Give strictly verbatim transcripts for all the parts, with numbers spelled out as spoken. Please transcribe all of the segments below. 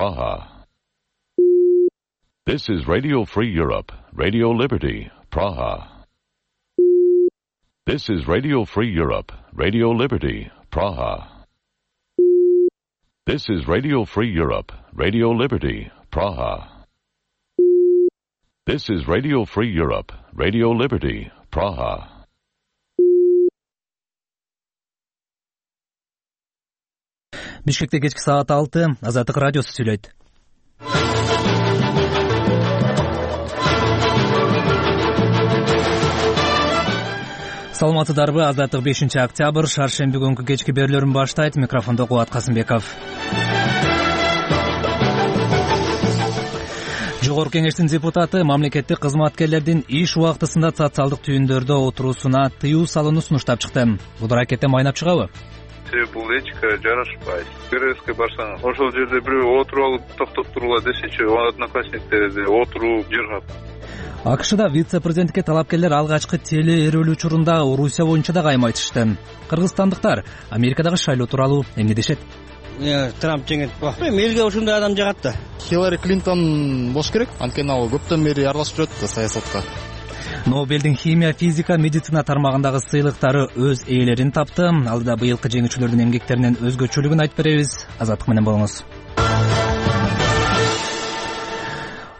Praha. This is Radio Free Europe, Radio Liberty, Praha. This is Radio Free Europe, Radio Liberty, Praha. This is Radio Free Europe, Radio Liberty, Praha. This is Radio Free Europe, Radio Liberty, Praha. Бишкекте кечки саат алты, Азаттык радиосу сүйлөйт. Саламатсыздарбы? Азаттык бешинчи октябрь, шаршемби күнкү кечки берүүлөрүн баштайт. Микрофондо Кубат Касымбеков. Жогорку кеңештин депутаты мамлекеттик кызматкерлердин иш убактысында социалдык түйүндөрдө отуруусуна тыюу салууну сунуштап чыкты. Бул аракеттен майнап чыгабы? Бул этика жарашпайт. КРСке барсаң, ошол жерде бирөө отуруп алып токтоп тургула десечи, одноклассниктерде отуруп жыргап. АКШда вице-президентке талапкерлер алгачкы теле эрүүл учурунда Орусия боюнча да кайма айтышты. Кыргызстандыктар Америкадагы шайлоо тууралуу эмне дешет? Трамп жеңет го. Элге ушундай адам жагат да. Хиллари Клинтон болуш керек. Анткени ал көптөн бери аралашып жүрөт да саясатка. Нобелдин химия, физика, медицина тармагындагы сыйлыктары өз ээлерин тапты. Алдыда быйылкы жеңүүчүлөрдүн эмгектеринин өзгөчөлүгүн айтып беребиз. Азаттык менен болуңуз.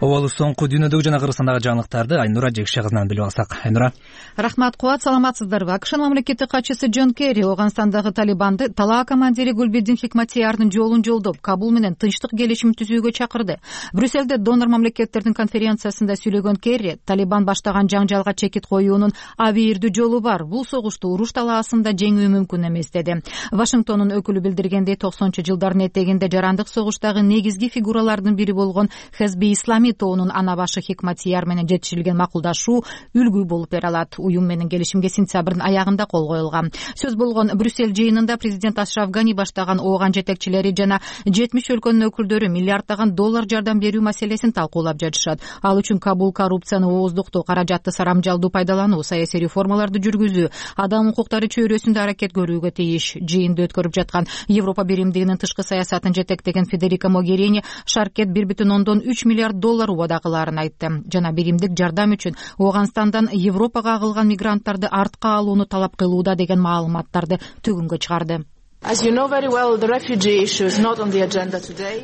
Обалы соңку дүйнөдөгү жана Кыргызстандагы жаңылыктарды Айнура Жекше кызынан билип алсак. Айнура. Рахмат, Кубат, саламатсыздарбы? АКШнын мамлекеттик катчысы Джон Керри Ооганстандагы талибанды талаа командири Гулбидин Хикматиярдын жолун жолдоп, Кабул менен тынчтык келишим түзүүгө чакырды. Брюссельде донор мамлекеттердин конференциясында сүйлөгөн Керри Талибан баштаган жаңжалга чекит коюунун абийирдүү жолу бар. Бул согушту уруш талаасында жеңүү мүмкүн эмес деди. Вашингтондун өкүлү билдиргендей, токсонунчу жылдардын этегинде жарандык согуштагы негизги фигуралардын бири болгон Хезби Ислами тоонун ана башы Хикматияр менен жетишилген макулдашуу үлгү болуп бере алат. Уюм менен келишимге сентябрдын аягында кол коюлган. Сөз болгон Брюссель жыйынында президент Ашраф Гани баштаган ооган жетекчилери жана жетимиш өлкөнүн өкүлдөрү миллиарддаган доллар жардам берүү маселесин талкуулап жатышат. Ал үчүн Кабул коррупцияны ооздуктоо, каражатты сарамжалдуу пайдалануу, саясий реформаларды жүргүзүү, адам укуктары чөйрөсүндө аракет көрүүгө тийиш. Жыйынды өткөрүп жаткан Европа биримдигинин тышкы саясатын жетектеген Федерика Могерини шаркет бир бүтүн ондон үч миллиард доллар убада кылаарын айтты. Жана биримдик жардам үчүн Ооганстандан Европага агылган мигранттарды артка алууну талап кылууда деген маалыматтарды төгүнгө чыгарды.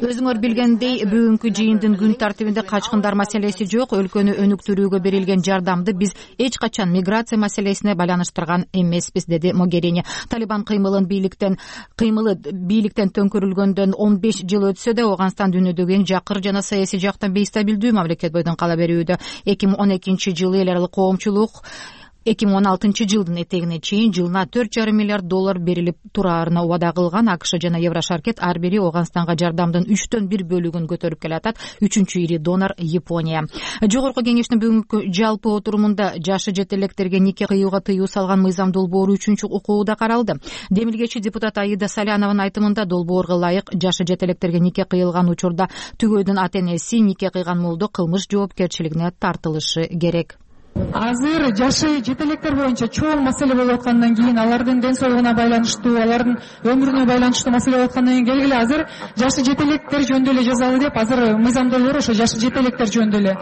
Өзүңөр билгендей, бүгүнкү жыйындын күн тартибинде качкындар маселеси жок. Өлкөнү өнүктүрүүгө берилген жардамды биз эч качан миграция маселесине байланыштырган эмеспиз, деди Могерини. Талибан кыймылын бийликтен кыймылы бийликтен төңкөрүлгөндөн он беш жыл өтсө да, Ооганстан дүйнөдөгү эң жакыр жана саясий жактан бейстабилдүү мамлекет бойдон кала берүүдө. эки миң он экинчи жылы эл аралык коомчулук эки миң он алтынчы жылдын этегине чейин жылына төрт жарым миллиард доллар берилип тураарына убада кылган. АКШ жана Еврошаркет ар бири Ооганстанга жардамдын үчтөн бир бөлүгүн көтөрүп келатат. Үчүнчү ири донор Япония. Жогорку кеңештин бүгүнкү жалпы отурумунда жашы жете электерге нике кыюуга тыюу салган мыйзам долбоору үчүнчү окууда каралды. Демилгечи депутат Аида Салянованын айтымында, долбоорго ылайык жашы жете электерге нике кыйылган учурда түгөйдүн ата энеси нике кыйган молдо кылмыш жоопкерчилигине тартылышы керек. Азыр жашы жетелектер боюнча чоң маселе болуп аткандан кийин, алардын ден соолугуна байланыштуу, алардын өмүрүнө байланыштуу маселе болуп аткандан кийин келгиле азыр жашы жетелектер жөнүндө эле жазалы деп азыр мыйзам долбоору ошо жашы жетелектер жөнүндө эле.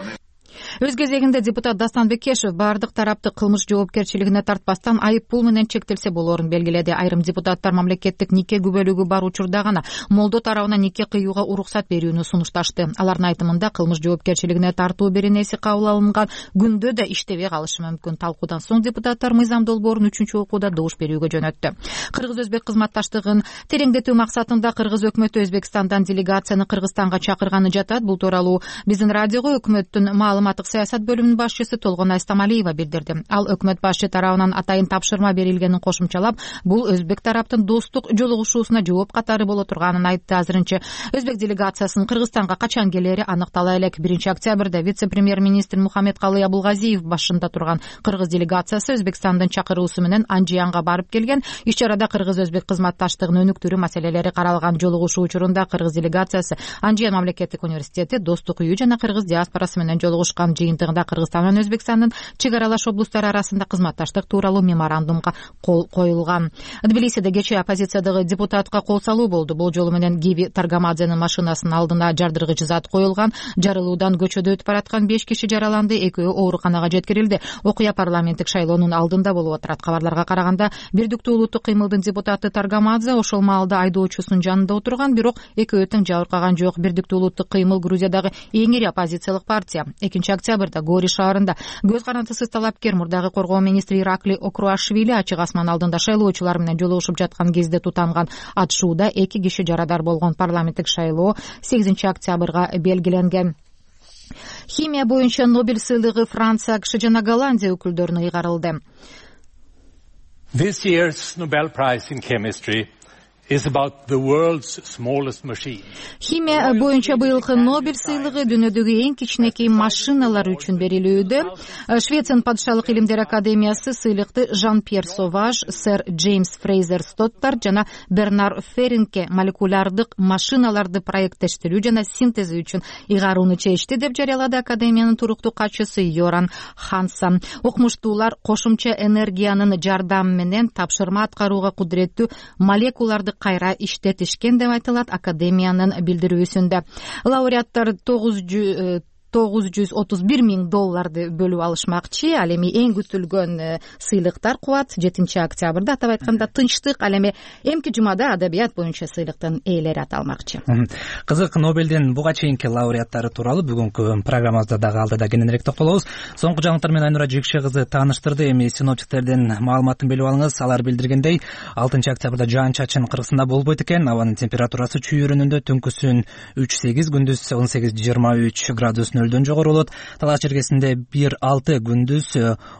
Өз кезегинде депутат Дастан Бекешев бардык тарапты кылмыш жоопкерчилигине тартпастан айып пул менен чектелсе болоорун белгиледи. Айрым депутаттар мамлекеттик нике күбөлүгү бар учурда гана молдо тарабынан нике кыюуга уруксат берүүнү сунушташты. Алардын айтымында кылмыш жоопкерчилигине тартуу беренеси кабыл алынган күндө да иштебей калышы мүмкүн. Талкуудан соң депутаттар мыйзам долбоорун үчүнчү окууда добуш берүүгө жөнөттү. Кыргыз-өзбек кызматташтыгын тереңдетүү максатында Кыргыз өкмөтү Өзбекстандан делегацияны Кыргызстанга чакырганы жатат. Бул тууралуу биздин радиого өкмөттүн маалыматтык саясат бөлүмүнүн башчысы Толгон Айстамалиева билдирди. Ал өкмөт башчы тарабынан атайын тапшырма берилгенин кошумчалап, бул өзбек тараптын достук жолугушуусуна жооп катары боло турганын айтты. Азырынча өзбек делегациясынын Кыргызстанга качан келери аныктала элек. биринчи октябрда вице-премьер-министр Мухаммедкалый Абулгазиев башында турган Кыргыз делегациясы Өзбекстандын чакыруусу менен Анжиянга барып келген. Иш-чарада Кыргыз-өзбек кызматташтыгын өнүктүрүү маселелери каралган. Жолугушуу учурунда Кыргыз делегациясы Анжиян мамлекеттик университети, Достук үйү жана Кыргыз диаспорасы менен жолугушкан. жыйынтыгында Кыргызстан менен Өзбекстандын чек аралаш облустары арасында кызматташтык тууралуу меморандумга кол коюлган. Тбилисиде кечээ оппозициядагы депутатка кол салуу болду. Бул жолу менен Гиви Таргамадзенин машинасынын алдына жардыргыч зат коюлган. Жарылуудан көчөдө өтүп бараткан беш киши жараланды, экөө ооруканага жеткирилди. Окуя парламенттик шайлоонун алдында болуп отурат. Кабарларга караганда, Бирдиктүү улуттук кыймылдын депутаты Таргамадзе ошол маалда айдоочусунун жанында отурган, бирок экөө тең жабыркаган жок. Бирдиктүү улуттук кыймыл Грузиядагы эң ири оппозициялык партия. экинчи октябрда Гори шаарында көз карандысыз талапкер мурдагы коргоо министри Иракли Окруашвили ачык асман алдында шайлоочулар менен жолугушуп жаткан кезде тутанган атышууда эки киши жарадар болгон. Парламенттик шайлоо сегизинчи октябрга белгиленген. Химия боюнча Нобель сыйлыгы Франция, АКШ жана Голландия өкүлдөрүнө ыйгарылды. This year's Nobel Prize in Chemistry is about the world's smallest machine. Химия боюнча быйылкы Нобель сыйлыгы дүйнөдөгү эң кичинекей машиналар үчүн берилүүдө. Швециянын падышалык илимдер академиясы сыйлыкты Жан-Пьер Соваж, сэр Джеймс Фрейзер Стоттар жана Бернар Феринке молекулярдык машиналарды проекттештирүү жана синтези үчүн ыйгарууну чечти деп жарыялады академиянын туруктуу катчысы Йоран Хансан. Окумуштуулар кошумча энергиянын жардамы менен тапшырма аткарууга кудуреттүү молекуларды кайра иштетишкен деп айтылат академиянын билдирүүсүндө. Лауреаттар тогуз жүз отуз бир миң долларды бөлүп алышмакчы. Ал эми эң күтүлгөн сыйлыктар куат жетинчи октябрда, атап айтканда тынчтык. Ал эми эмки жумада адабият боюнча сыйлыктын ээлери аталмакчы. Кызык, Нобелдин буга чейинки лауреаттары тууралуу бүгүнкү программабызда дагы алдыда кененирээк токтолобуз. Соңку жаңылыктар менен Айнура Жекше кызы тааныштырды. Эми синоптиктердин маалыматын билип алыңыз. Алар билдиргендей, алтынчы октябрда жаан-чачын Кыргызстанда болбойт экен. Абанын температурасы чүйүрүнүндө түнкүсүн үч сегиз, күндүз он сегиз жыйырма үч градус нөлдөн жогору болот. Талаш жергесинде бир алты, күндүз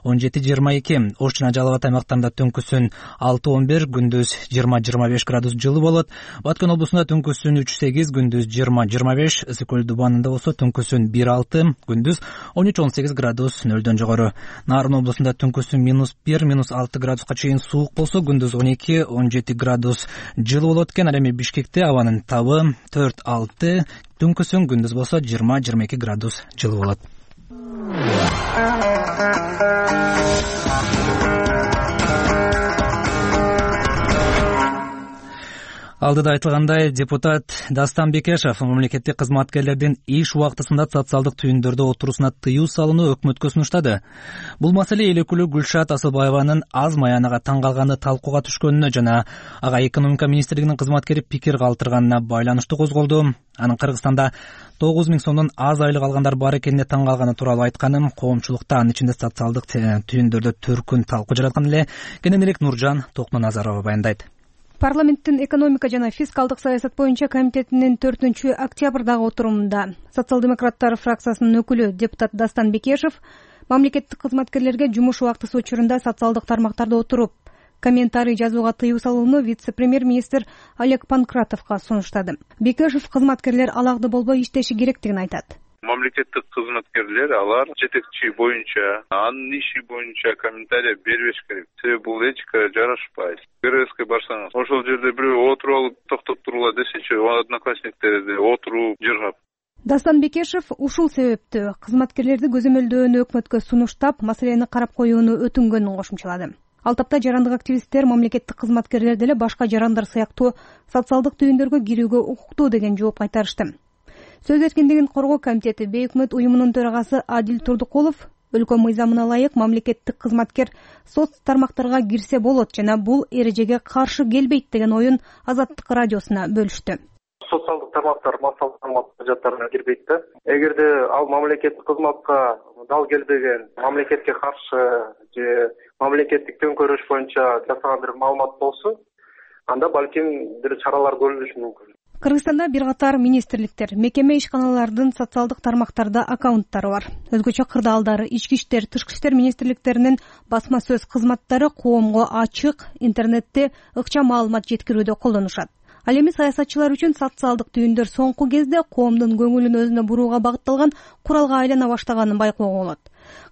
он жети жыйырма эки. Ош жана Жалал Абад аймактарында түнкүсүн алты он бир, күндүз жыйырма жыйырма беш градус жылы болот. Баткен облусунда түнкүсүн үч сегиз, күндүз жыйырма жыйырма беш. Ысык көл дубанында болсо түнкүсүн бир алты, күндүз он үч он сегиз градус нөлдөн жогору. Нарын облусунда түнкүсүн минус бир, минус алты градуска чейин суук болсо, күндүз он эки он жети градус жылы болот экен. Ал эми Бишкекте абанын табы төрт алты, түнкүсүн күндүз болсо жыйырма жыйырма эки градус жылы болот. Алдыда айтылгандай, депутат Дастан Бекешев мамлекеттик кызматкерлердин иш убактысында социалдык түйүндөрдө отурусуна тыюу салууну өкмөткө сунуштады. Бул маселе эл өкүлү Гүлшат Асылбаеванын аз маянага таң калганы талкууга түшкөнүнө жана ага экономика министрлигинин кызматкери пикир калтырганына байланыштуу козголду. Анын Кыргызстанда тогуз миң сомдон аз айлык алгандар бар экенине таң калганы тууралуу айтканым, коомчулукта анын ичинде социалдык түйүндөрдө төркүн талкуу жараткан эле. Кененирээк Нуржан Токноназарова баяндайт. Парламенттин экономика жана фискалдык саясат боюнча комитетинин төртүнчү октябрдагы отурумунда социал-демократтар фракциясынын өкүлү депутат Дастан Бекешев мамлекеттик кызматкерлерге жумуш убактысы учурунда социалдык тармактарда отуруп комментарий жазууга тыюу салууну вице-премьер-министр Олег Панкратовго сунуштады. Бекешев кызматкерлер алакты болбой иштеши керектигин айтат. Мамлекеттик кызматкерлер алар жетекчи боюнча, анын иши боюнча комментарий бербеш керек. Себеби бул этикага жарашпайт. ГРСке барсаңыз, ошол жерде бирөө отуруп алып токтоп тургула десечи, одноклассниктерди отуруп жыргап. Дастан Бекешев ушул себептүү кызматкерлерди көзөмөлдөөнү өкмөткө сунуштап, маселени карап коюуну өтүнгөнүн кошумчалады. Ал тапта жарандык активисттер мамлекеттик кызматкерлер деле башка жарандар сыяктуу социалдык түйүндөргө кирүүгө укуктуу деген жооп кайтарышты. Сөз эркиндигин коргоо комитети Бейөкмөт уюмунун төрагасы Адил Турдукулов өлкө мыйзамына ылайык мамлекеттик кызматкер соц тармактарга кирсе болот жана бул эрежеге каршы келбейт деген оюн Азаттык радиосуна бөлүштү. Социалдык тармактар массалык каражаттарына кирбейт да. Эгерде ал мамлекеттик кызматка дал келбеген, мамлекетке каршы же мамлекеттик төңкөрүш боюнча жасаган бир маалымат болсо, анда балким бир чаралар көрүлүшү мүмкүн. Кыргызстанда бир катар министрликтер, мекеме ишканалардын социалдык тармактарда аккаунттары бар. Өзгөчө кырдаалдары, ички иштер, тышкы иштер министрликтеринин басма сөз кызматтары коомго ачык интернетте ыкчам маалымат жеткирүүдө колдонушат. Ал эми саясатчылар үчүн социалдык түйүндөр соңку кезде коомдун көңүлүн өзүнө бурууга багытталган куралга айлана баштаганын байкоого болот.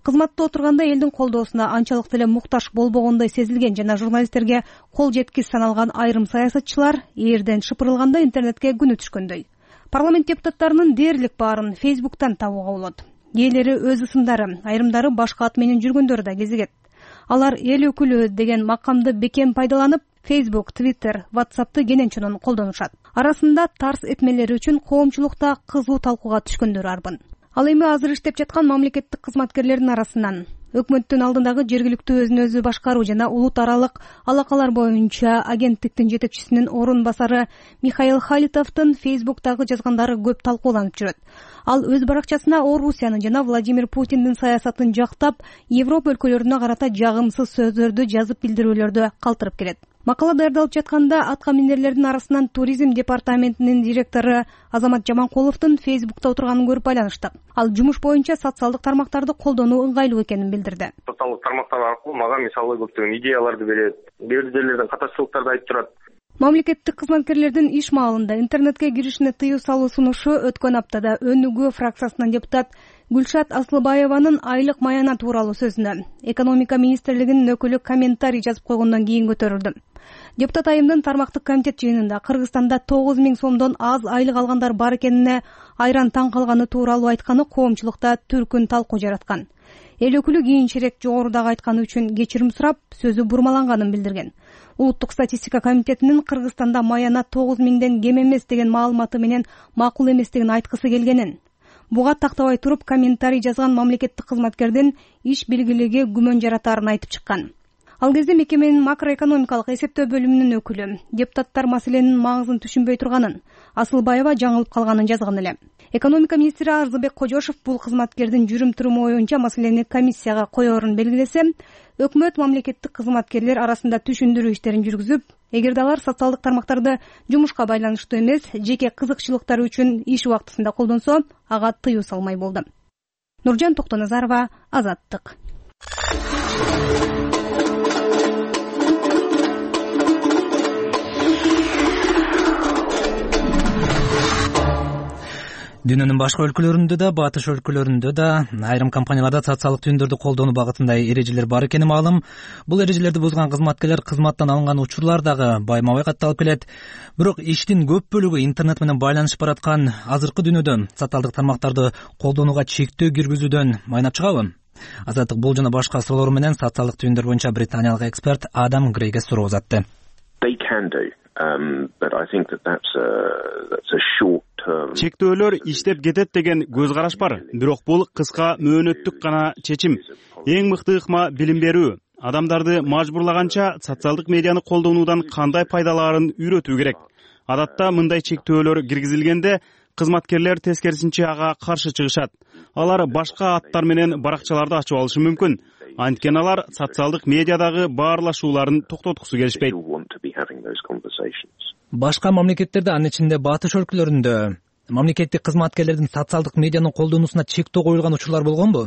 Кызматта отурганда элдин колдоосуна анчалык деле муктаж болбогондой сезилген жана журналисттерге кол жеткис саналган айрым саясатчылар ээрден шыпырылганда интернетке күнү түшкөндөй. Парламент депутаттарынын дээрлик баарын Фейсбуктан табууга болот. ээлери өз ысымдары, айрымдары башка ат менен жүргөндөрү да кезигет. Алар эл өкүлү деген макамды бекем пайдаланып, Facebook, Twitter, WhatsApp'ты кенен колдонушат. Арасында тарс этмелери үчүн коомчулукта кызуу талкууга түшкөндөр арбын. Ал эми азыр иштеп жаткан мамлекеттик кызматкерлердин арасынан өкмөттүн алдындагы жергиликтүү өзүн өзү башкаруу жана улут аралык алакалар боюнча агенттиктин жетекчисинин орун басары Михаил Халитовдун Facebook'тагы жазгандары көп талкууланып жүрөт. Ал өз баракчасына Орусияны жана Владимир Путиндин саясатын жактап, Европа өлкөлөрүнө карата жагымсыз сөздөрдү жазып билдирүүлөрдү калтырып келет. Макала даярдалып жатканда атка минерлердин арасынан туризм департаментинин директору Азамат Жаманкуловдун Facebook'та отурганын көрүп байланыштык. Ал жумуш боюнча социалдык тармактарды колдонуу ыңгайлуу экенин билдирди. Социалдык тармактар аркылуу мага мисалы көптөгөн идеяларды берет, бир жерлерден катачылыктарды айтып турат. Мамлекеттик кызматкерлердин иш маалында интернетке киришине тыюу салуу сунушу өткөн аптада Өнүгүү фракциясынан депутат Гүлшат Асылбаеванын айлык маянат тууралуу сөзүнө экономика министрлигинин өкүлү комментарий жазып койгондон кийин көтөрүлдү. Депутат айымдын тармактык комитет жыйынында Кыргызстанда тогуз миң сомдон аз айлык алгандар бар экенине айран таң калганы тууралуу айтканы коомчулукта түркүн талкуу жараткан. Эл өкүлү кийинчерээк жогорудагы айтканы үчүн кечирим сурап, сөзү бурмаланганын билдирген. Улуттук статистика комитетинин Кыргызстанда маянат тогуз миңден кем эмес деген маалыматы менен макул эместигин айткысы келгенин. Буга тактабай туруп, комментарий жазган мамлекеттик кызматкердин иш билгилиги күмөн жаратаарын айтып чыккан. Ал кезде мекеменин макроэкономикалык эсептөө бөлүмүнүн өкүлү депутаттар маселенин маңызын түшүнбөй турганын, Асылбаева жаңылып калганын жазган эле. Экономика министри Арзыбек Кожошов бул кызматкердин жүрүм-туруму боюнча маселени комиссияга коерун белгилесе, өкмөт мамлекеттик кызматкерлер арасында түшүндүрүү иштерин жүргүзүп, эгерде алар социалдык тармактарды жумушка байланыштуу эмес, жеке кызыкчылыктары үчүн иш убактысында колдонсо, ага тыюу салмай болду. Нуржан Токтоназарова, Азаттык. Дүйнөнүн башка өлкөлөрүндө да, батыш өлкөлөрүндө да айрым компанияларда социалдык түйүндөрдү колдонуу багытында эрежелер бар экени маалым. Бул эрежелерди бузган кызматкерлер кызматтан алынган учурлар дагы байма-бай катталып келет. Бирок иштин көп бөлүгү интернет менен байланышып бараткан азыркы дүйнөдө социалдык тармактарды колдонууга чектөө киргизүүдөн майнап чыгабы? Азаттык бул жана башка суроолор менен социалдык түйүндөр боюнча британиялык эксперт Адам Грейге суроо узатты. Чектөөлөр иштеп кетет деген көз караш бар, бирок бул кыска мөөнөттүк гана чечим. Эң мыкты ыкма билим берүү. Адамдарды мажбурлаганча социалдык медианы колдонуудан кандай пайдалаарын үйрөтүү керек. Адатта мындай чектөөлөр киргизилгенде кызматкерлер тескерисинче ага каршы чыгышат. Алар башка аттар менен баракчаларды ачып алышы мүмкүн. Анткени алар социалдык медиадагы баарлашууларын токтоткусу келишпейт. Башка мамлекеттерде, анын ичинде батыш өлкөлөрүндө мамлекеттик кызматкерлердин социалдык медианы колдонуусуна чектөө коюлган учурлар болгонбу?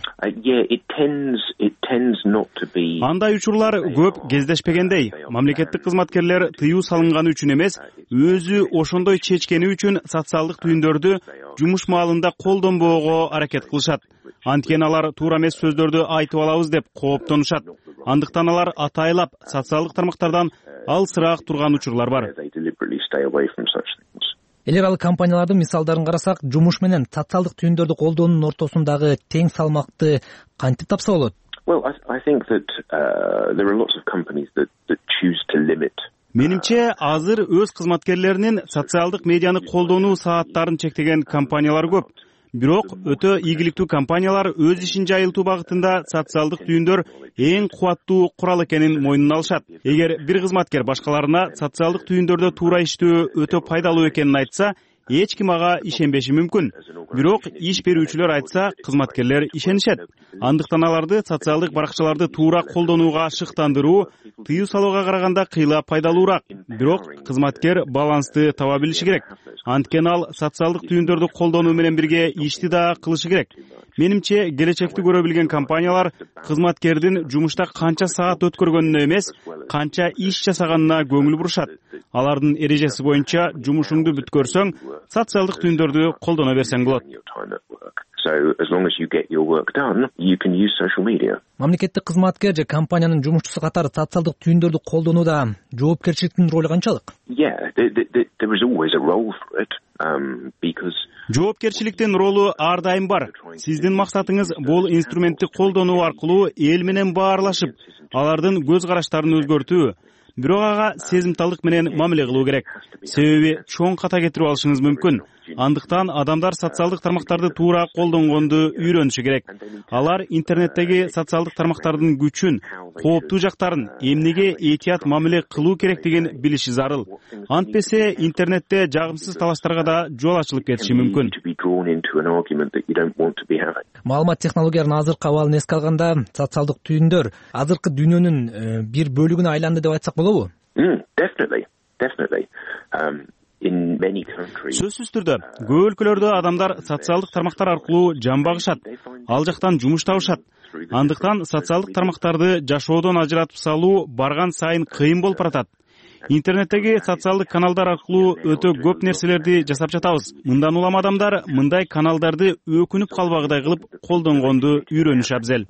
Андай учурлар көп кездешпегендей. Мамлекеттик кызматкерлер тыюу салынганы үчүн эмес, өзү ошондой чечкени үчүн социалдык түйүндөрдү жумуш маалында колдонбоого аракет кылышат. Анткени алар туура эмес сөздөрдү айтып алабыз деп кооптонушат. Андыктан алар атайлап социалдык тармактардан алысыраак турган учурлар бар. Эл аралык компаниялардын мисалдарын карасак, жумуш менен социалдык түйүндөрдү колдоонун ортосундагы тең салмакты кантип тапса болот? Менимче, азыр өз кызматкерлеринин социалдык медианы колдонуу сааттарын чектеген компаниялар көп. Бирок өтө ийгиликтүү компаниялар өз ишин жайылтуу багытында социалдык түйүндөр эң кубаттуу курал экенин мойнуна алышат. Эгер бир кызматкер башкаларына социалдык түйүндөрдө туура иштөө өтө пайдалуу экенин айтса, эч ким ага ишенбеши мүмкүн. Бирок иш берүүчүлөр айтса, кызматкерлер ишенишет. Андыктан аларды социалдык баракчаларды туура колдонууга шыктандыруу тыюу салууга караганда кыйла пайдалуураак. Бирок кызматкер балансты таба билиши керек. Анткени ал социалдык түйүндөрдү колдонуу менен бирге ишти да кылышы керек. Менимче, келечекти көрө билген компаниялар кызматкердин жумушта канча саат өткөргөнүнө эмес, канча иш жасаганына көңүл бурушат. Алардын эрежеси боюнча жумушуңду бүткөрсөң, социалдык түйүндөрдү колдоно берсең болот. Мамлекеттик кызматкер же компаниянын жумушчусу катары социалдык түйүндөрдү колдонууда жоопкерчиликтин ролу канчалык? жоопкерчиликтин ролу ар дайым бар. Сиздин максатыңыз бул инструментти колдонуу аркылуу эл менен баарлашып, алардын көз караштарын өзгөртүү. Бирок ага сезимталдык менен мамиле кылуу керек. Себеби чоң ката кетирип алышыңыз мүмкүн. Андыктан адамдар социалдык тармактарды туура колдонгонду үйрөнүшү керек. Алар интернеттеги социалдык тармактардын күчүн, кооптуу жактарын, эмнеге этият мамиле кылуу керектигин билиши зарыл. Антпесе интернетте жагымсыз талаштарга да жол ачылып кетиши мүмкүн. Маалымат технологияларынын азыркы абалын эске алганда, социалдык түйүндөр азыркы дүйнөнүн бир бөлүгүнө айланды деп айтсак болобу? Сөзсүз түрдө көп өлкөлөрдө адамдар социалдык тармактар аркылуу жан багышат, ал жактан жумуш табышат. Андыктан социалдык тармактарды жашоодон ажыратып салуу барган сайын кыйын болуп баратат. Интернеттеги социалдык каналдар аркылуу өтө көп нерселерди жасап жатабыз. Мындан улам адамдар мындай каналдарды өкүнүп калбагыдай кылып колдонгонду үйрөнүш абзел.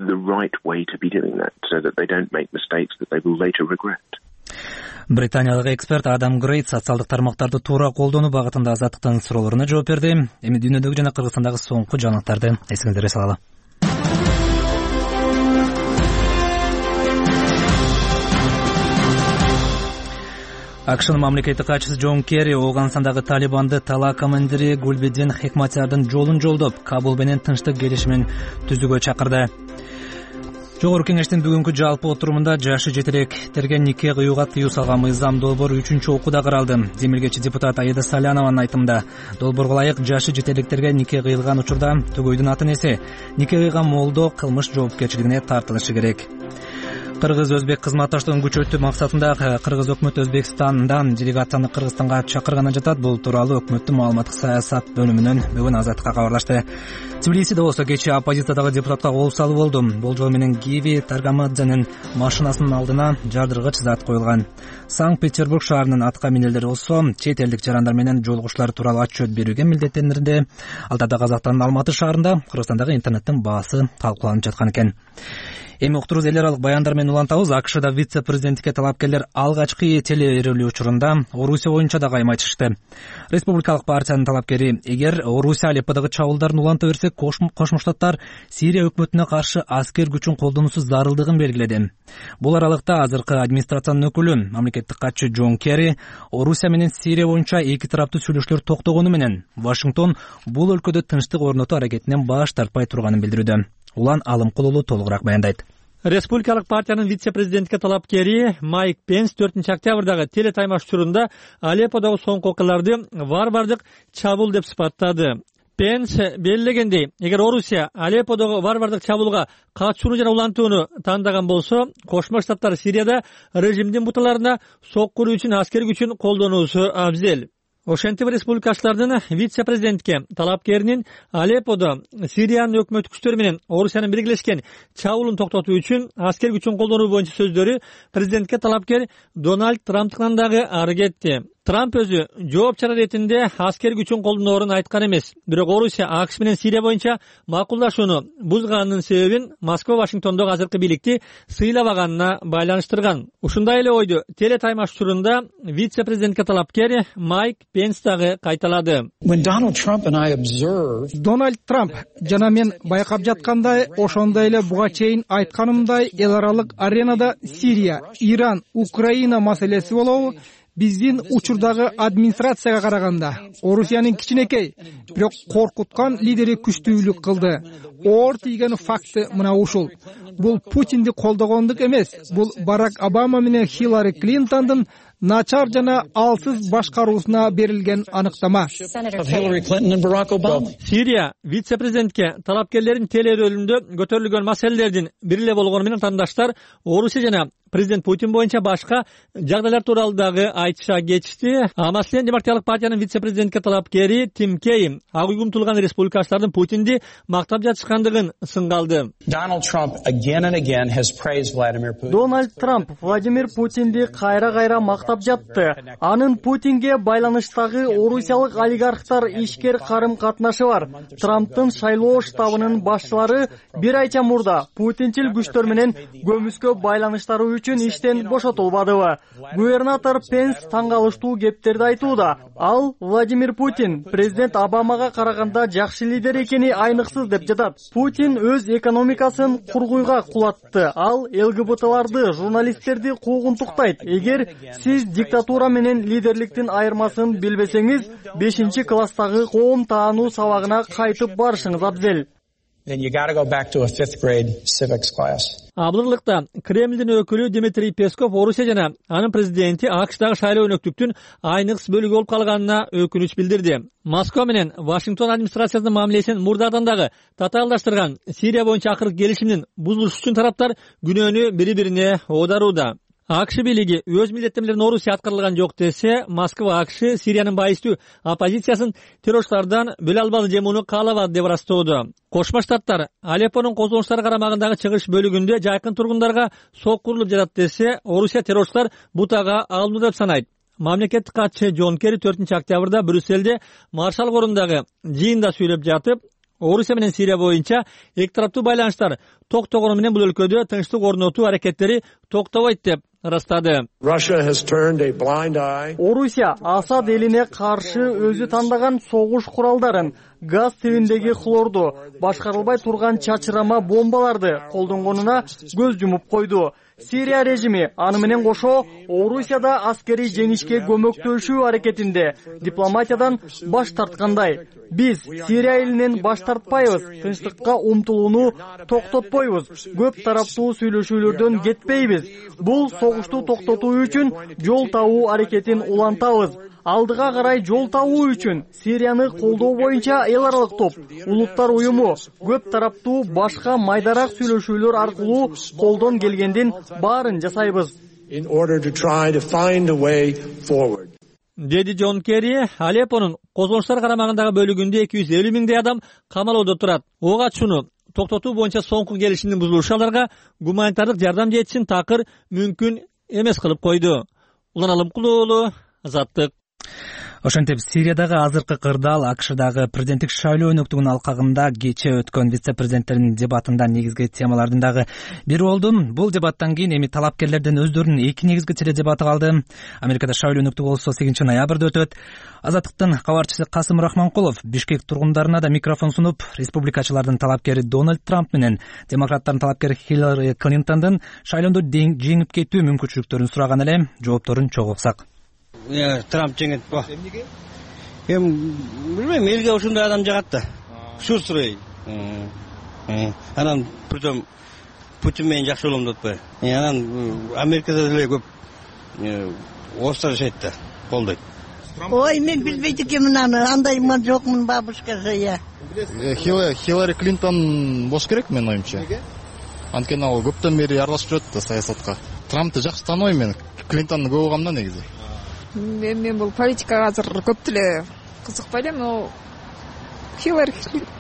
Британиялык эксперт Адам Грейт социалдык тармактарды туура колдонуу багытында азаттыктын суроолоруна жооп берди. Эми дүйнөдөгү жана Кыргызстандагы соңку жаңылыктарды эсиңиздерге салалы. АКШнын мамлекеттик катчысы Джон Керри Ооганстандагы Талибанды талаа командири Гулбидин Хикматиярдын жолун жолдоп, Кабул менен тынчтык келишимин түзүүгө чакырды. Жогорку кеңештин бүгүнкү жалпы отурумунда жашы жетелектерге нике кыюуга тыюу салган мыйзам долбоор үчүнчү окууда каралды. Демилгечи депутат Аида Салянованын айтымында, долбоорго ылайык жашы жетелектерге нике кыйылган учурда төгөйдүн атын эсе нике кыйган молдо кылмыш жоопкерчилигине тартылышы керек. Кыргыз-өзбек кызматташтыгын күчөтүү максатында Кыргыз өкмөтү Өзбекстандан делегацияны Кыргызстанга чакырганын жатат. Бул тууралуу өкмөттүн маалыматтык саясат бөлүмүнөн бүгүн Азаттыкка кабарлашты. Тбилисиде болсо кечээ оппозициядагы депутатка кол салуу болду. Болжол менен Гиви Таргамадзенин машинасынын алдына жардыргыч зат коюлган. Санкт-Петербург шаарынын атка минелдери болсо чет элдик жарандар менен жолугушуулар тууралуу отчет берүүгө милдеттендирди. Ал жерде Казакстандын Алматы шаарында Кыргызстандагы интернеттин баасы талкууланып жаткан экен. Эми уктуруубуз эл аралык баяндар менен улантабыз. АКШда вице-президенттикке талапкерлер алгачкы телеэрөлүү учурунда Орусия боюнча да кайма чыгышты. Республикалык партиянын талапкери: эгер Орусия Алепподогу чабуулдарын уланта берсе, Кошмо Штаттар Сирия өкмөтүнө каршы аскер күчүн колдонуусу зарылдыгын белгиледи. Бул аралыкта азыркы администрациянын өкүлү, мамлекеттик катчы Джон Керри Орусия менен Сирия боюнча эки тараптуу сүйлөшүүлөр токтогону менен Вашингтон бул өлкөдө тынчтык орнотуу аракетинен баш тартпай турганын билдирүүдө. Улан Алымкулулу толугураак баяндайт. Республикалык партиянын вице-президентке талапкери Майк Пенс төртүнчү октябрдагы телетаймаш учурунда Алепподогу соңку окуяларды варвардык чабуул деп сыпаттады. Пенс белгилегендей, эгер Орусия Алепподогу варвардык чабуулга катышууну жана улантууну тандаган болсо, Кошмо Штаттар Сирияда режимдин буталарына соккуруу үчүн аскер күчүн колдонуусу абзел. Ошентип республикачылардын вице-президентке талапкеринин Алепподо Сириянын өкмөт күчтөрү менен Орусиянын биргелешкен чабуулун токтотуу үчүн аскер күчүн колдонуу боюнча сөздөрү президентке талапкер Дональд Трамптан дагы ары кетти. Трамп өзү жооп чара иретинде аскер күчүн колдоноорун айткан эмес. Бирок Орусия АКШ менен Сирия боюнча макулдашууну бузганынын себебин Москва Вашингтондогу азыркы бийликти сыйлабаганына байланыштырган. Ушундай эле ойду телетаймаш учурунда вице-президентке талапкер Майк Пенс дагы кайталады. Дональд Трамп жана мен байкап жаткандай, ошондой эле буга чейин айтканымдай, эл аралык аренада Сирия, Иран, Украина маселеси болобу? Биздин учурдагы администрацияга караганда Орусиянын кичинекей, бирок коркуткан лидери күчтүүлүк кылды. Оор тийген факты мына ушул. Бул Путинди колдогондук эмес, бул Барак Обама менен Хиллари Клинтондун начар жана алсыз башкаруусуна берилген аныктама. Сирия вице-президентке талапкерлерин телеэрөлүндө көтөрүлгөн маселелердин бири эле болгону менен тандашдар Орусия жана президент Путин боюнча башка жагдайлар тууралуу дагы айтыша кетишти. А маселен Демократиялык партиянын вице-президентке талапкери Тим Кей ак үй умтулган республикачылардын Путинди мактап жатышкан жаткандыгын сынга алды. Дональд Трамп Владимир Путинди кайра-кайра мактап жатты. Анын Путинге байланыштагы орусиялык олигархтар ишкер карым-катнашы бар. Трамптын шайлоо штабынын башчылары бир айча мурда Путинчил күчтөр менен көмүскө байланыштары үчүн иштен бошотулбадыбы? Губернатор Пенс таң калыштуу кептерди айтууда. Ал Владимир Путин президент Обамага караганда жакшы лидер экени айныксыз деп жатат. Путин өз экономикасын кургуйга кулатты. Ал ЛГБТларды, журналисттерди куугунтуктайт. Эгер сиз диктатура менен лидерликтин айырмасын билбесеңиз, бешинчи класстагы коом таануу сабагына кайтып барышыңыз абзел. Абдырлыкта Кремлдин өкүлү Дмитрий Песков Орусия жана анын президенти АКШдагы шайлоо өнөктүктүн айныкс бөлүгү болуп калганына өкүнүч билдирди. Москва менен Вашингтон администрациясынын мамилесин мурдадан дагы татаалдаштырган Сирия боюнча акыркы келишимдин бузулушу үчүн тараптар күнөөнү бири-бирине оодарууда. АКШ бийлиги өз милдеттемелерин Орусия аткарылган жок десе, Москва АКШ Сириянын байыстуу оппозициясын террорчулардан бөлө албады же муну каалабады деп ырастоодо. Кошмо Штаттар Алеппонун козголуштары карамагындагы чыгыш бөлүгүндө жайкын тургундарга сок курулуп жатат десе, Орусия террорчулар бутага алынуу деп санайт. Мамлекеттик катчы Джон Керри төртүнчү октябрда Брюсселде Маршал корундагы жыйында сүйлөп жатып, Орусия менен Сирия боюнча эки тараптуу байланыштар токтогону менен бул өлкөдө тынчтык орнотуу аракеттери токтобойт деп ырастады. Орусия Асад элине каршы өзү тандаган согуш куралдарын, газ тибиндеги хлорду, башкарылбай турган чачырама бомбаларды колдонгонуна көз жумуп койду. Сирия режими аны менен кошо Орусияда аскерий жеңишке көмөктөшүү аракетинде дипломатиядан баш тарткандай. Биз Сирия элинен баш тартпайбыз, тынчтыкка умтулууну токтотпойбуз, көп тараптуу сүйлөшүүлөрдөн кетпейбиз. Бул согушту токтотуу үчүн жол табуу аракетин улантабыз. Алдыга карай жол табуу үчүн Сирияны колдоо боюнча эл аралык топ, улуттар уюму, көп тараптуу башка майдарак сүйлөшүүлөр аркылуу колдон келгендин баарын жасайбыз. Деди Джон Керри, Алеппонун козголуштар карамагындагы бөлүгүндө эки жүз элүү миңдей адам камалоодо турат. Ого ачууну токтотуу боюнча соңку келишимдин бузулушу аларга гуманитардык жардам жетишин такыр мүмкүн эмес кылып койду. Улан Алымкулуу, Азаттык. Ошентип Сириядагы азыркы кырдаал АКШдагы президенттик шайлоо өнөктүгүнүн алкагында кечээ өткөн вице-президенттердин дебатында негизги темалардын дагы бири болду. Бул дебаттан кийин эми талапкерлерден өздөрүнүн эки негизги теледебаты калды. Америкада шайлоо өнөктүгү болсо сегизинчи ноябрда өтөт. Азаттыктын кабарчысы Касым Рахманкулов Бишкек тургундарына да микрофон сунуп, республикачылардын талапкери Дональд Трамп менен демократтардын талапкери Хиллари Клинтондун шайлоодо жеңип кетүү мүмкүнчүлүктөрүн сураган эле. Жоопторун чогуу уксак. Трамп жеңет ба. Эми билбейм, элге ушундай адам жагат да. Шур сурай. Анан притом Путин менен жакшы болом деп атпайбы. Анан Америкада деле көп орустар жашайт да, колдойт. Ой, мен билбейт экенмин аны, андаймын жокмун бабушкасы я. Хиллари Клинтон болуш керек менин оюмча. Анткени ал көптөн бери аралашып жүрөт да саясатка. Трампты жакшы тааныбайм мен. Клинтонду көп угам да негизи. Мен бул политикага азыр көп деле кызыкпай элем, но Хиллари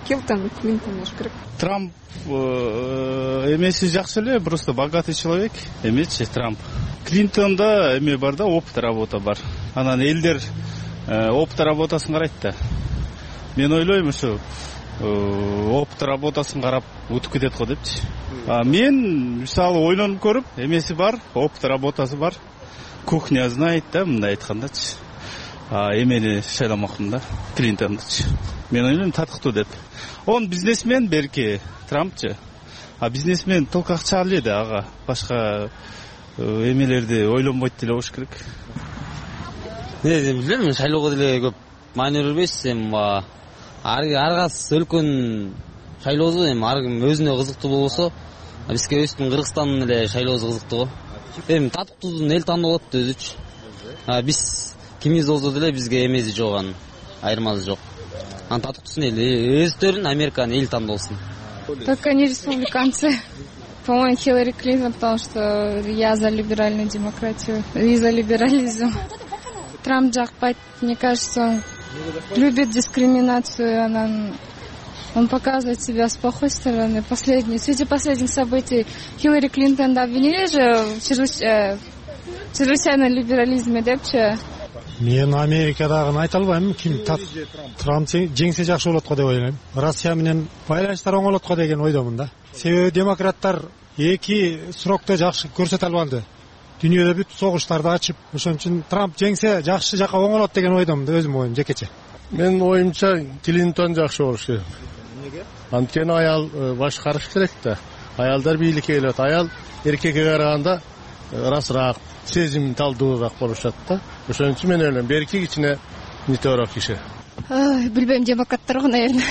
Клинтон Клинтон болуш керек. Трамп эмеси жакшы эле, просто богатый человек эмечи Трамп. Клинтонда эме бар да, опыт работа бар. Анан элдер опыт работасын карайт да. Мен ойлойм ушу опыт работасын карап утуп кетет го депчи. А мен мисалы ойлонуп көрүп, эмеси бар, опыт работасы бар. Кухня знает да, мындай айткандачы. А эмени шайламакмын да, Клинтондучу. Мен ойлойм татыктуу деп. Он бизнесмен берки, Трампчы. А бизнесмен толку акча эле да, ага. Башка эмелерди ойлонбойт деле болуш керек. Мен билбейм, шайлоого деле көп маани бербейсиз, эми ар кайсы өлкөнүн шайлоосу эми ар ким өзүнө кызыктуу болбосо, бизге өзүбүздүн Кыргызстандын эле шайлоосу кызыктуу го. Эми татыктуудун эл тандоо болот да өзүчү. А биз кимиз болсо деле бизге эмеси жок, анын айырмасы жок. Анан татыктуусун эл өздөрүн Американын эл тандоосун. Только не республиканцы. По-моему, Хиллари Клинтон, потому что я за либеральную демократию и за либерализм. Трамп жакпайт, мне кажется, он любит дискриминацию, анан Он показывает себя с плохой стороны. Последний, среди последних событий Хиллари Клинтон обвинили же в чрезвычайном либерализме депчи. Мен Америкадагыны айта албайм. Ким Трамп жеңсе жакшы болот го деп ойлойм. Россия менен байланыштар оңолот го деген ойдомун да. Себеби демократтар эки срокто жакшы көрсөтө албады. Дүйнөдө бүт согуштарды ачып, ошон үчүн Трамп жеңсе жакшы жака оңолот деген ойдомун да, өзүмдүн оюм жекече. Менин оюмча Клинтон жакшы болуш керек. Анткени аял башкарыш керек да. Аялдар бийликке келет. Аял эркекке караганда ырасыраак, сезим талдуураак болушат да. Ошон үчүн мен ойлойм, эркек ичине нитөөрөөк киши. Билбейм, демократтар го, наверное.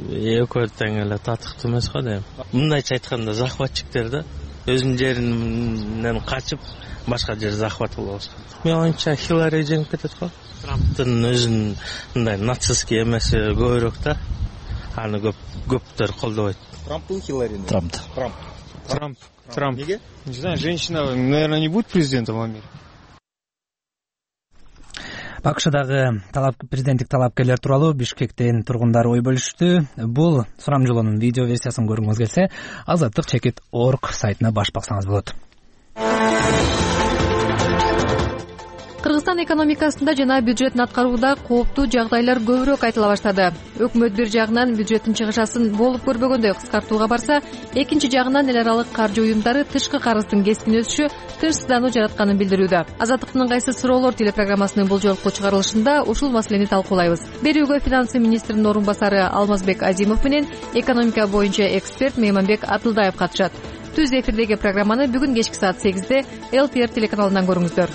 Экөө тең эле татыктуу эмес го дейм. Мындайча айтканда захватчиктер да, өзүнүн жеринен качып башка жер захват кылып алышат. Мен оюмча Хиллари жеңип кетет го. Трамптын өзүнүн мындай нацистский эмеси көбүрөөк да. Аны көп көптөр колдобойт. Трамптын Хилларини? Трамп. Трамп. Трамп. Трамп. Неге? Не знаю, женщина, наверное, не будет президентом в Америке. АКШдагы талап президенттик талапкерлер тууралуу Бишкектин тургундары ой бөлүштү. Бул сурамжылоонун видео версиясын көргүңүз келсе, азаттык чекит точка орг сайтына баш баксаңыз болот. Кыргызстан экономикасында жана бюджеттин аткарууда кооптуу жагдайлар көбүрөөк айтыла баштады. Өкмөт бир жагынан бюджеттин чыгышасын болуп көрбөгөндөй кыскартууга барса, экинчи жагынан эл аралык каржы уюмдары тышкы карыздын кескин өсүшү тынчсыздануу жаратканын билдирүүдө. Азаттыктын кайсы суроолор телепрограммасынын бул жолку чыгарылышында ушул маселени талкуулайбыз. Берүүгө финансы министринин орун басары Алмазбек Азимов менен экономика боюнча эксперт Мейманбек Атылдаев катышат. Түз эфирдеги программаны бүгүн кечки саат сегизде эл ти эр телеканалынан көрүңүздөр.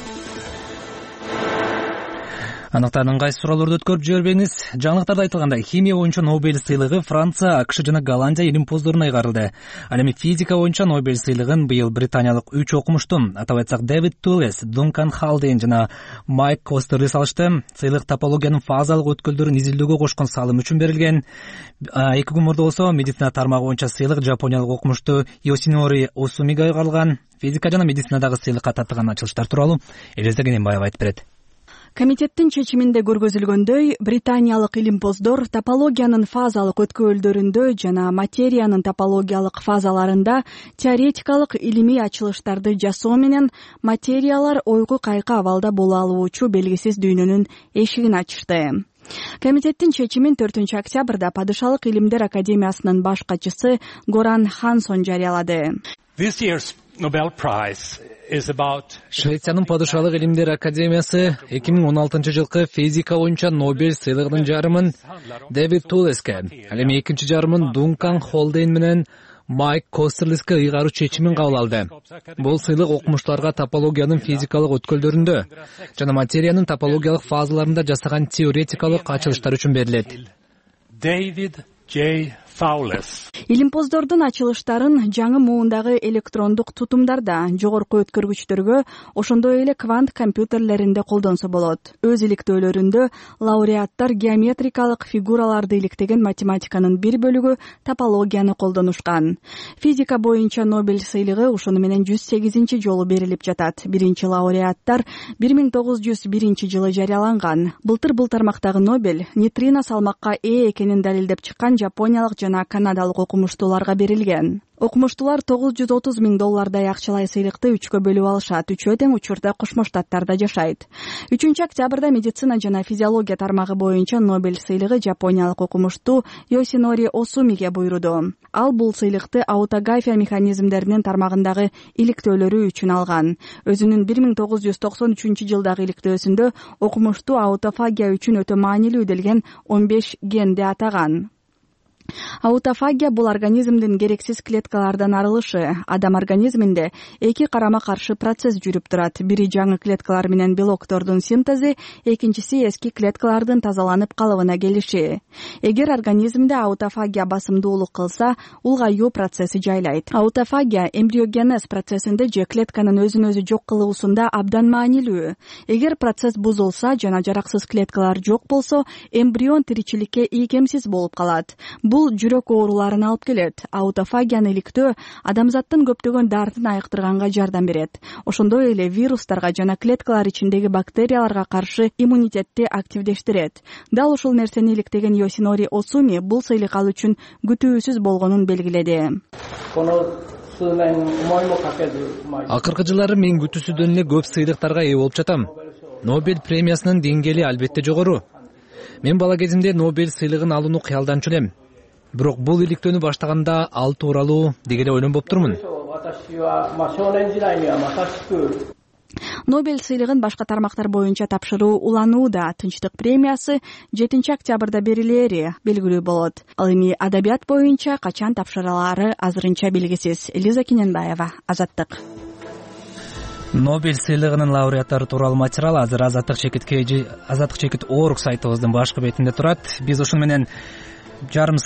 Аныктардын кайсы суроолорду өткөрүп жибербеңиз. Жаңылыктарда айтылгандай, химия боюнча Нобель сыйлыгы Франция, АКШ жана Голландия илимпоздоруна ыйгарылды. Ал эми физика боюнча Нобель сыйлыгын быйыл британиялык үч окумушту, атап айтсак Дэвид Тулес, Дункан Халдейн жана Майк Костерлис алышты. Сыйлык топологиянын фазалык өткөлдөрүн изилдөөгө кошкон салым үчүн берилген. Эки күн мурда болсо медицина тармагы боюнча сыйлык жапониялык окумушту Йосинори Осумига ыйгарылган. Физика жана медицинадагы сыйлыкка татыган ачылыштар тууралуу Элиза Кененбаева айтып берет. Комитеттин чечиминде көргөзүлгөндөй, британиялык илимпоздор топологиянын фазалык өткөлдөрүндө жана материянын топологиялык фазаларында теоретикалык илимий ачылыштарды жасоо менен материялар ойгу кайкы абалда боло алуучу белгисиз дүйнөнүн эшигин ачышты. Комитеттин чечимин төртүнчү октябрда Падышалык илимдер академиясынын баш катчысы Горан Хансон жарыялады. This year's Nobel Prize is about Швециянын Падышалык илимдер академиясы эки миң он алтынчы жылкы физика боюнча Нобель сыйлыгынын жарымын Дэвид Тулеске, ал эми экинчи жарымын Дункан Холдейн менен Майк Костерлиске ыйгаруу чечимин кабыл алды. Бул сыйлык окумуштууларга топологиянын физикалык өткөлдөрүндө жана материянын топологиялык фазаларында жасаган теоретикалык ачылыштар үчүн берилет. David J. Fowles. Илимпоздордун ачылыштарын жаңы муундагы электрондук тутумдарда, жогорку өткөргүчтөргө, ошондой эле квант компьютерлеринде колдонсо болот. Өз иликтөөлөрүндө лауреаттар геометрикалык фигураларды иликтеген математиканын бир бөлүгү топологияны колдонушкан. Физика боюнча Нобель сыйлыгы ошону менен жүз сегизинчи жолу берилип жатат. Биринчи лауреаттар бир миң тогуз жүз биринчи жылы жарыяланган. Былтыр бул тармактагы Нобель нейтрино салмакка ээ экенин далилдеп чыккан жапониялык жана канадалык окумуштууларга берилген. Окумуштуулар тогуз жүз отуз миң доллардай акчалай сыйлыкты үчкө бөлүп алышат. Үчөө тең учурда Кошмо Штаттарда жашайт. үчүнчү октябрда медицина жана физиология тармагы боюнча Нобель сыйлыгы жапониялык окумуштуу Йосинори Осумиге буйруду. Ал бул сыйлыкты аутография механизмдеринин тармагындагы иликтөөлөрү үчүн алган. Өзүнүн бир миң тогуз жүз токсон үчүнчү жылдагы иликтөөсүндө окумуштуу аутофагия үчүн өтө маанилүү делген он беш генди атаган. Аутофагия бул организмдин керексиз клеткалардан арылышы. Адам организминде эки карама-каршы процесс жүрүп турат. Бири жаңы клеткалар менен белоктордун синтези, экинчиси эски клеткалардын тазаланып калыбына келиши. Эгер организмде аутофагия басымдуулук кылса, улгаюу процесси жайлайт. Аутофагия эмбриогенез процессинде же клетканын өзүн өзү жок кылуусунда абдан маанилүү. Эгер процесс бузулса жана жараксыз клеткалар жок болсо, эмбрион тиричиликке ийкемсиз болуп калат. Бул бул жүрөк ооруларын алып келет. Аутофагияны иликтөө адамзаттын көптөгөн дартын айыктырганга жардам берет. Ошондой эле вирустарга жана клеткалар ичиндеги бактерияларга каршы иммунитетти активдештирет. Дал ушул нерсени иликтеген Йосинори Осуми бул сыйлык ал үчүн күтүүсүз болгонун белгиледи. Акыркы жылдары мен күтүүсүздөн эле көп сыйлыктарга ээ болуп жатам. Нобель премиясынын деңгээли албетте жогору. Мен бала кезимде Нобель сыйлыгын алууну кыялданчу элем. Бирок бул иликтөөнү баштаганда ал тууралуу деги эле ойлонуп турмун. Нобель сыйлыгын башка тармактар боюнча тапшыруу уланууда. Тынчтык премиясы жетинчи октябрда берилери белгилүү болот. Ал эми адабият боюнча качан тапшырылаары азырынча белгисиз. Элиза Кененбаева, Азаттык. Нобель сыйлыгынын лауреаттары тууралуу материал азыр Азаттык чекит Азаттык чекит орг сайтыбыздын башкы бетинде турат. Биз ушуну менен жарым